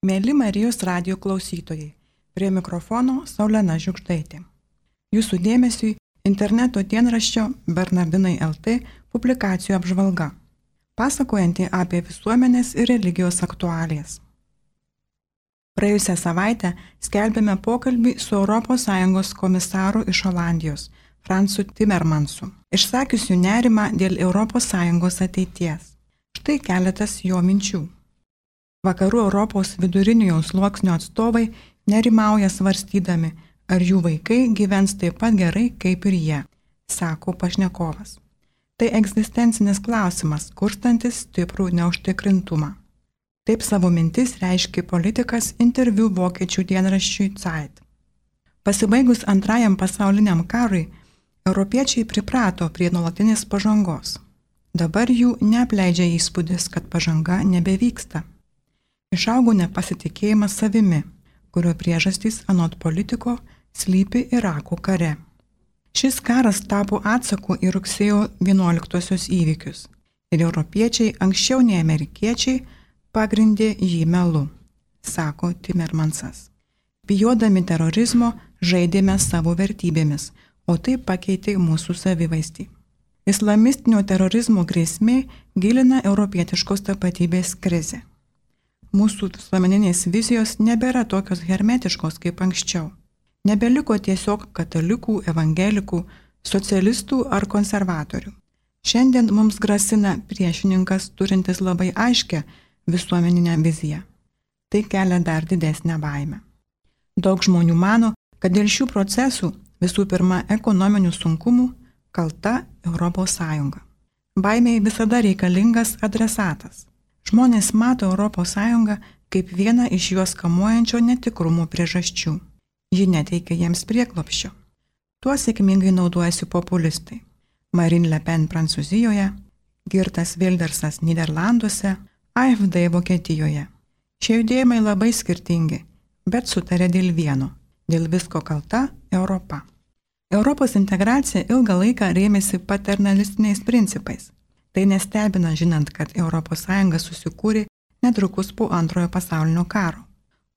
Mėly Marijos radijo klausytojai, prie mikrofono Saulena Žiugždaitė. Jūsų dėmesiui interneto dienraščio Bernardinai LT publikacijų apžvalga, pasakojanti apie visuomenės ir religijos aktualijas. Praėjusią savaitę skelbėme pokalbį su ES komisaru iš Olandijos, Fransu Timmermansu, išsakiusiu nerimą dėl ES ateities. Štai keletas jo minčių. Vakarų Europos viduriniojo sluoksnio atstovai nerimauja svarstydami, ar jų vaikai gyvens taip pat gerai kaip ir jie, sako pašnekovas. Tai egzistencinis klausimas, kurstantis stiprų neužtikrintumą. Taip savo mintis reiškia politikas interviu vokiečių dienraščiui Zeit. Pasibaigus Antrajam pasauliniam karui, europiečiai priprato prie nuolatinės pažangos. Dabar jų neapleidžia įspūdis, kad pažanga nebevyksta. Išaugo nepasitikėjimas savimi, kurio priežastys anot politiko slypi Irako kare. Šis karas tapo atsaku į rugsėjo 11-osios įvykius ir europiečiai anksčiau nei amerikiečiai pagrindė jį melu, sako Timmermansas. Bijodami terorizmo žaidėme savo vertybėmis, o tai pakeitė mūsų savivaizdį. Islamistinio terorizmo grėsmė gilina europietiškos tapatybės krizę. Mūsų visuomeninės vizijos nebėra tokios hermetiškos kaip anksčiau. Nebeliko tiesiog katalikų, evangelikų, socialistų ar konservatorių. Šiandien mums grasina priešininkas turintis labai aiškę visuomeninę viziją. Tai kelia dar didesnę baimę. Daug žmonių mano, kad dėl šių procesų, visų pirma ekonominių sunkumų, kalta ES. Baimei visada reikalingas adresatas. Žmonės mato ES kaip vieną iš juos kamuojančio netikrumo priežasčių. Ji neteikia jiems prieglobsčio. Tuo sėkmingai naudojasi populistai. Marine Le Pen Prancūzijoje, Geertas Wildersas Nyderlanduose, AfD Vokietijoje. Šie judėjimai labai skirtingi, bet sutarė dėl vieno. Dėl visko kalta Europa. Europos integracija ilgą laiką rėmėsi paternalistiniais principais. Tai nestebina žinant, kad ES susikūrė netrukus po Antrojo pasaulinio karo.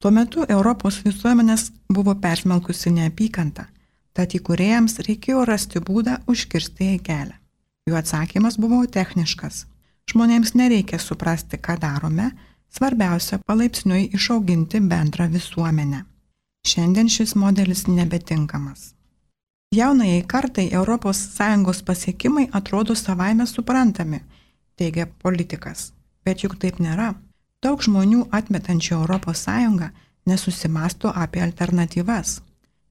Tuo metu Europos visuomenės buvo persmelkusi neapykanta, tad įkūrėjams reikėjo rasti būdą užkirsti jai kelią. Jų atsakymas buvo techniškas. Žmonėms nereikia suprasti, ką darome, svarbiausia palaipsniui išauginti bendrą visuomenę. Šiandien šis modelis nebetinkamas. Jaunajai kartai ES pasiekimai atrodo savaime suprantami, teigia politikas. Bet juk taip nėra. Daug žmonių atmetančių ES nesusimąsto apie alternatyvas.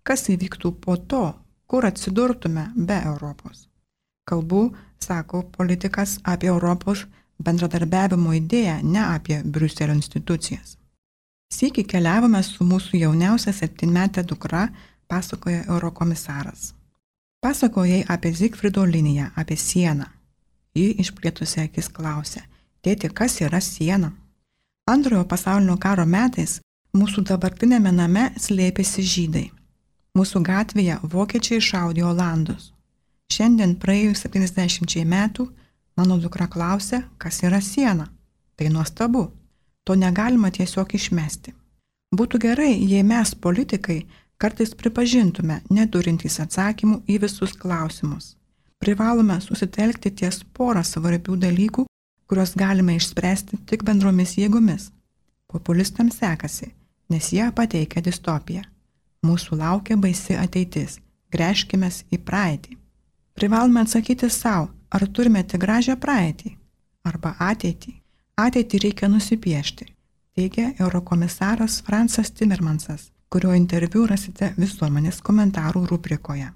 Kas įvyktų po to, kur atsidurtume be Europos? Kalbu, sako politikas, apie Europos bendradarbiavimo idėją, ne apie Briuselio institucijas. Sykį keliavome su mūsų jauniausia 7-metė dukra, pasakoja eurokomisaras. Pasakojai apie Zigfrido liniją, apie sieną. Ji išplėtusi akis klausė, tėti, kas yra siena? Antrojo pasaulinio karo metais mūsų dabartinėme name slėpėsi žydai. Mūsų gatvėje vokiečiai šaudė olandus. Šiandien praėjus 70 metų mano dukra klausė, kas yra siena. Tai nuostabu. To negalima tiesiog išmesti. Būtų gerai, jei mes, politikai, kartais pripažintume neturintys atsakymų į visus klausimus. Privalome susitelkti ties porą svarbių dalykų, kuriuos galime išspręsti tik bendromis jėgomis. Populistams sekasi, nes jie pateikia distopiją. Mūsų laukia baisi ateitis. Gręžkimės į praeitį. Privalome atsakyti savo, ar turime tik gražią praeitį arba ateitį. Ateitį reikia nusipiešti, teigia eurokomisaras Fransas Timmermansas, kurio interviu rasite visuomenės komentarų rubrikoje.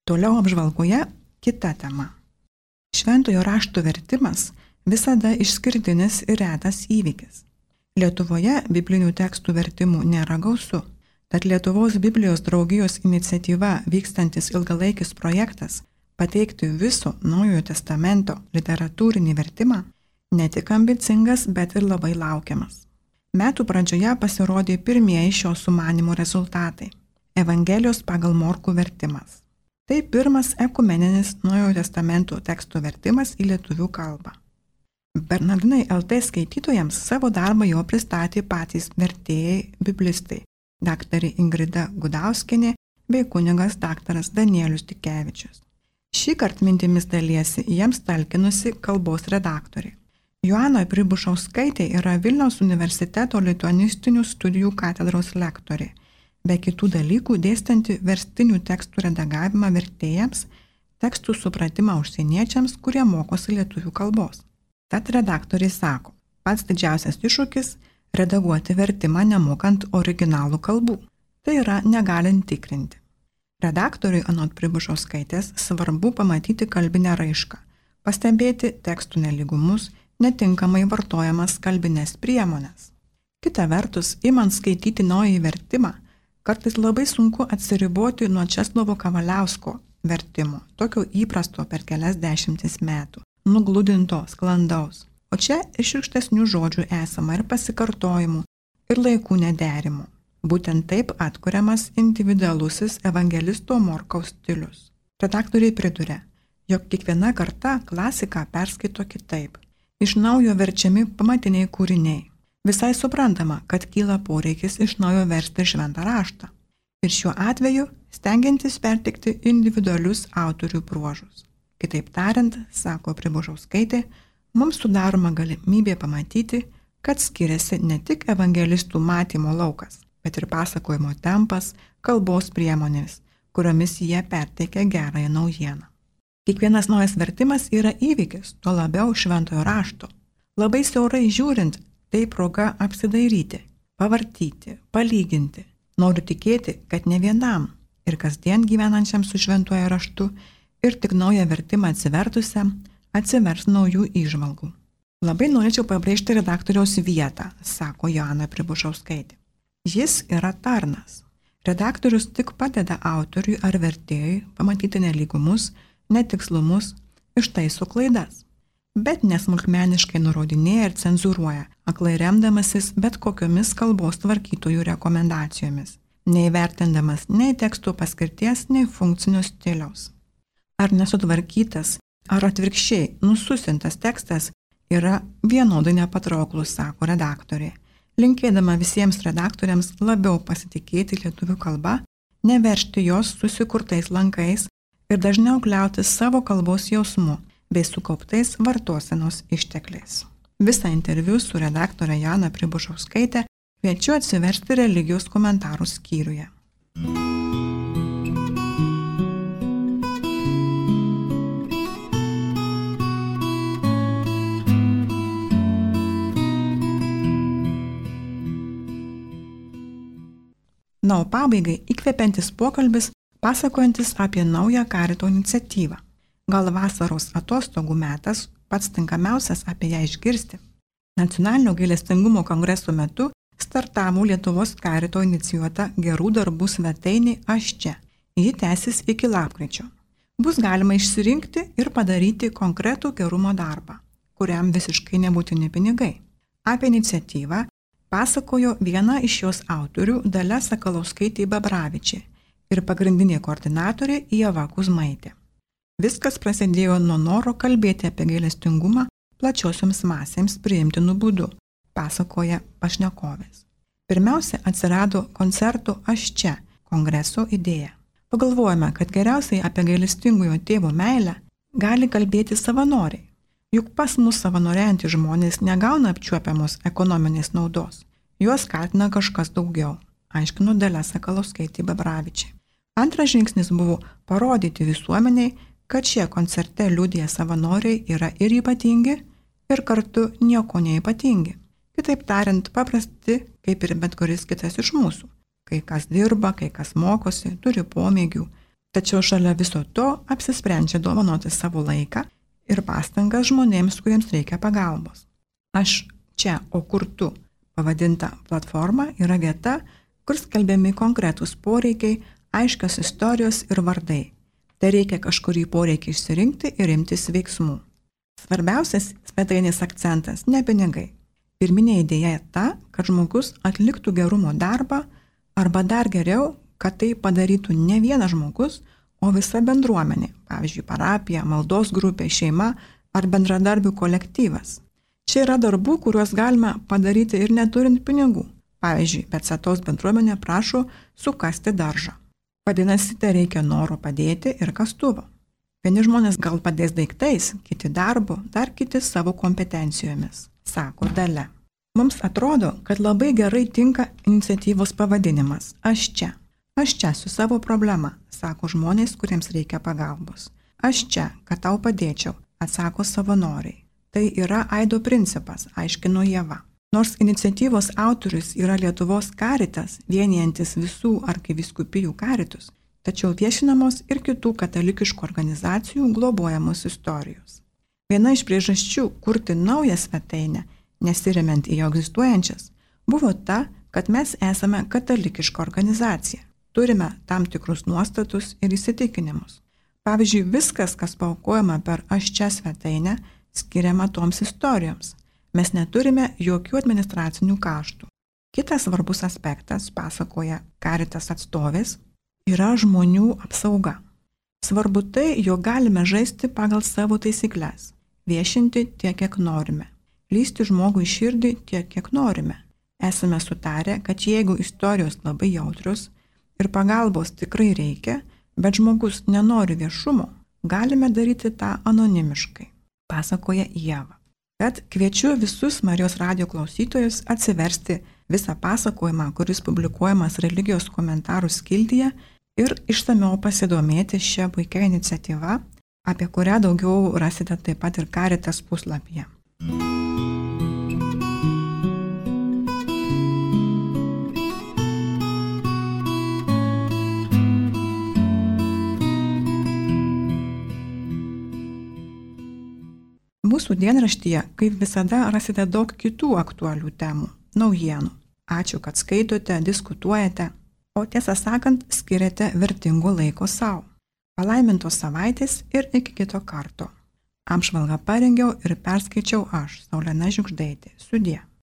Toliau apžvalgoje kita tema. Šventojo rašto vertimas visada išskirtinis ir retas įvykis. Lietuvoje biblinių tekstų vertimų nėra gausu, tad Lietuvos Biblijos draugijos iniciatyva vykstantis ilgalaikis projektas pateikti viso Naujojo testamento literatūrinį vertimą ne tik ambicingas, bet ir labai laukiamas. Metų pradžioje pasirodė pirmieji šio sumanimo rezultatai – Evangelijos pagal Morkų vertimas. Tai pirmas ekumeninis Naujojo testamento teksto vertimas į lietuvių kalbą. Bernardinai LT skaitytojams savo darbą jau pristatė patys vertėjai biblistai – daktarė Ingrida Gudauskienė bei kunigas daktaras Danielius Tikevičius. Šįkart mintimis dalyjasi jiems talkinusi kalbos redaktorė. Joana Pribušauskaitė yra Vilniaus universiteto lituanistinių studijų katedros lektorė, be kitų dalykų dėstanti verstinių tekstų redagavimą vertėjams, tekstų supratimą užsieniečiams, kurie mokosi lietuvių kalbos. Tad redaktoriai sako, pats didžiausias iššūkis – redaguoti vertimą nemokant originalų kalbų. Tai yra negalint tikrinti. Redaktoriui anot Pribušauskaitės svarbu pamatyti kalbinę raišką, pastebėti tekstų nelygumus, netinkamai vartojamas kalbinės priemonės. Kita vertus, imant skaityti naująjį vertimą, kartais labai sunku atsiriboti nuo Česlovo Kavaliausko vertimo, tokio įprasto per kelias dešimtis metų, nugludinto, sklandaus. O čia išrikštesnių žodžių esama ir pasikartojimų, ir laikų nederimų. Būtent taip atkuriamas individualusis evangelisto Morkaus stilius. Redaktoriai priduria, jog kiekviena karta klasiką perskaito kitaip. Iš naujo verčiami pamatiniai kūriniai. Visai suprantama, kad kyla poreikis iš naujo versti šventą raštą. Ir šiuo atveju stengiantis perteikti individualius autorių bruožus. Kitaip tariant, sako Pribušauskaitė, mums sudaroma galimybė pamatyti, kad skiriasi ne tik evangelistų matymo laukas, bet ir pasakojimo tempas, kalbos priemonės, kuriomis jie perteikia gerąją naujieną. Kiekvienas naujas vertimas yra įvykis, tuo labiau šventojo rašto. Labai siaurai žiūrint, tai proga apsidairyti, pavartyti, palyginti. Noriu tikėti, kad ne vienam ir kasdien gyvenančiam su šventuoju raštu ir tik naują vertimą atsivertusiam atsivers naujų įžvalgų. Labai norėčiau pabrėžti redaktoriaus vietą, sako Joana Pribušauskaitė. Jis yra tarnas. Redaktorius tik padeda autoriui ar vertėjui pamatyti nelygumus, netikslumus, ištaiso klaidas, bet nesmulkmeniškai nurodinėja ir cenzūruoja, aklai remdamasis bet kokiomis kalbos tvarkytojų rekomendacijomis, neįvertindamas nei tekstų paskirties, nei funkcinio stiliaus. Ar nesutvarkytas, ar atvirkščiai nususintas tekstas yra vienodai nepatrauklus, sako redaktorė, linkėdama visiems redaktoriams labiau pasitikėti lietuvių kalba, neveržti jos susikurtais lankais ir dažniau kliautis savo kalbos jausmu bei sukauptais vartosenos ištekliais. Visą interviu su redaktorė Joana Pribušauskaitė kviečiu atsiversti religijos komentarų skyriuje. Na, o pabaigai įkvepiantis pokalbis, pasakojantis apie naują karito iniciatyvą. Gal vasaros atostogų metas pats tinkamiausias apie ją išgirsti. Nacionalinio gailestingumo kongreso metu startavo Lietuvos karito inicijuota gerų darbų svetainė Aš čia. Ji tęsis iki lapkričio. Bus galima išsirinkti ir padaryti konkretų gerumo darbą, kuriam visiškai nebūtini pinigai. Apie iniciatyvą pasakojo viena iš jos autorių Dalia Sakalauskaitė Babravičė ir pagrindinė koordinatorė Ieva Kuzmaitė. Viskas prasidėjo nuo noro kalbėti apie gailestingumą plačiosioms masėms priimtinų būdų, pasakoja pašnekovės. Pirmiausia atsirado koncerto Aš čia kongreso idėja. Pagalvojame, kad geriausiai apie gailestingojo tėvo meilę gali kalbėti savanoriai. Juk pas mus savanoriantys žmonės negauna apčiuopiamos ekonominės naudos. Juos skatina kažkas daugiau, aiškino Dalia Sakalauskaitė Babravičė. Antras žingsnis buvo parodyti visuomeniai, kad šie koncerte liudija savanoriai yra ir ypatingi, ir kartu nieko neypatingi. Kitaip tariant, paprasti, kaip ir bet kuris kitas iš mūsų. Kai kas dirba, kai kas mokosi, turi pomėgių. Tačiau šalia viso to apsisprendžia dovanoti savo laiką ir pastangas žmonėms, kuriems reikia pagalbos. Aš čia, o kur tu? Pavadinta platforma yra vieta, kur skelbiami konkretūs poreikiai, aiškios istorijos ir vardai. Tai reikia kažkurį poreikį išsirinkti ir imtis veiksmų. Svarbiausias svetainės akcentas – ne pinigai. Pirminė idėja ta, kad žmogus atliktų gerumo darbą arba dar geriau, kad tai padarytų ne vienas žmogus, o visa bendruomenė, pavyzdžiui, parapija, maldos grupė, šeima ar bendradarbių kolektyvas. Čia yra darbų, kuriuos galima padaryti ir neturint pinigų. Pavyzdžiui, Petsatos bendruomenė prašo sukasti daržą. Vadinasi, tai reikia noro padėti ir kastuvo. Vieni žmonės gal padės daiktais, kiti darbu, dar kiti savo kompetencijomis, sako Dalia. Mums atrodo, kad labai gerai tinka iniciatyvos pavadinimas Aš čia. Aš čia su savo problema, sako žmonės, kuriems reikia pagalbos. Aš čia, kad tau padėčiau, atsako savanoriai. Tai yra aido principas, aiškino Ieva. Nors iniciatyvos autorius yra Lietuvos karitas, vienijantis visų arkivyskupijų karitus, tačiau viešinamos ir kitų katalikiškų organizacijų globojamos istorijos. Viena iš priežasčių kurti naują svetainę, nesiremiant į jau egzistuojančias, buvo ta, kad mes esame katalikiška organizacija. Turime tam tikrus nuostatus ir įsitikinimus. Pavyzdžiui, viskas, kas paaukojama per Aš čia svetainę, skiriama toms istorijoms. Mes neturime jokių administracinių kaštų. Kitas svarbus aspektas, pasakoja karitas atstovės, yra žmonių apsauga. Svarbu tai, jog galime žaisti pagal savo taisyklės, viešinti tiek, kiek norime, lysti žmogui širdį tiek, kiek norime. Esame sutarę, kad jeigu istorijos labai jautrios ir pagalbos tikrai reikia, bet žmogus nenori viešumo, galime daryti tą anonimiškai, pasakoja Ieva. Tad kviečiu visus Marijos radijo klausytojus atsiversti visą pasakojimą, kuris publikuojamas religijos komentarų skiltyje ir išsamiau pasidomėti šią puikią iniciatyvą, apie kurią daugiau rasite taip pat ir Karitas puslapyje. Mūsų dienraštyje, kaip visada, rasite daug kitų aktualių temų, naujienų. Ačiū, kad skaitote, diskutuojate, o tiesą sakant, skiriate vertingo laiko savo. Palaimintos savaitės ir iki kito karto. Apžvalgą parengiau ir perskaičiau aš, Saulena Žiugždaitė. Sudie.